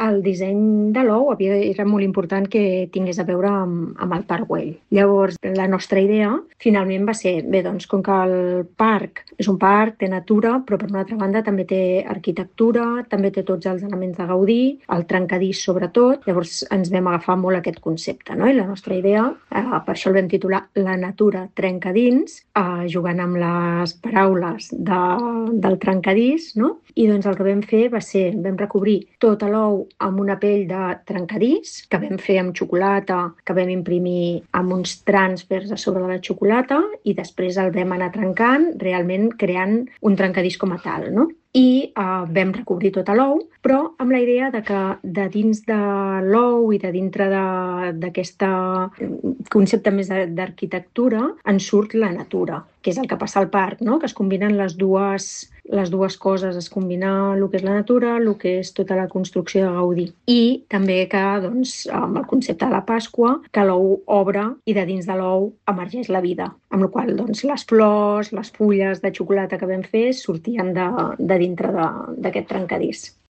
el disseny de l'ou era molt important que tingués a veure amb el Parc Güell. Llavors, la nostra idea finalment va ser, bé, doncs, com que el parc és un parc, té natura, però per una altra banda també té arquitectura, també té tots els elements de gaudir, el trencadís sobretot, llavors ens vam agafar molt aquest concepte, no? I la nostra idea, per això el vam titular La natura trenca dins, jugant amb les paraules del trencadís, no? I doncs el que vam fer va ser, vam recobrir tot l'ou amb una pell de trencadís, que vam fer amb xocolata, que vam imprimir amb uns trànsfers a sobre de la xocolata, i després el vam anar trencant, realment creant un trencadís com a tal, no? I vam recobrir tot l'ou, però amb la idea de que de dins de l'ou i de dintre d'aquest concepte més d'arquitectura en surt la natura, que és el que passa al parc, no? Que es combinen les dues coses, es combina el que és la natura, el que és tota la construcció de Gaudí. I també que, doncs, amb el concepte de la Pasqua, que l'ou obre i de dins de l'ou emergeix la vida, amb la qual cosa, doncs, les flors, les fulles de xocolata que vam fer sortien de dintre d'aquest trencadís.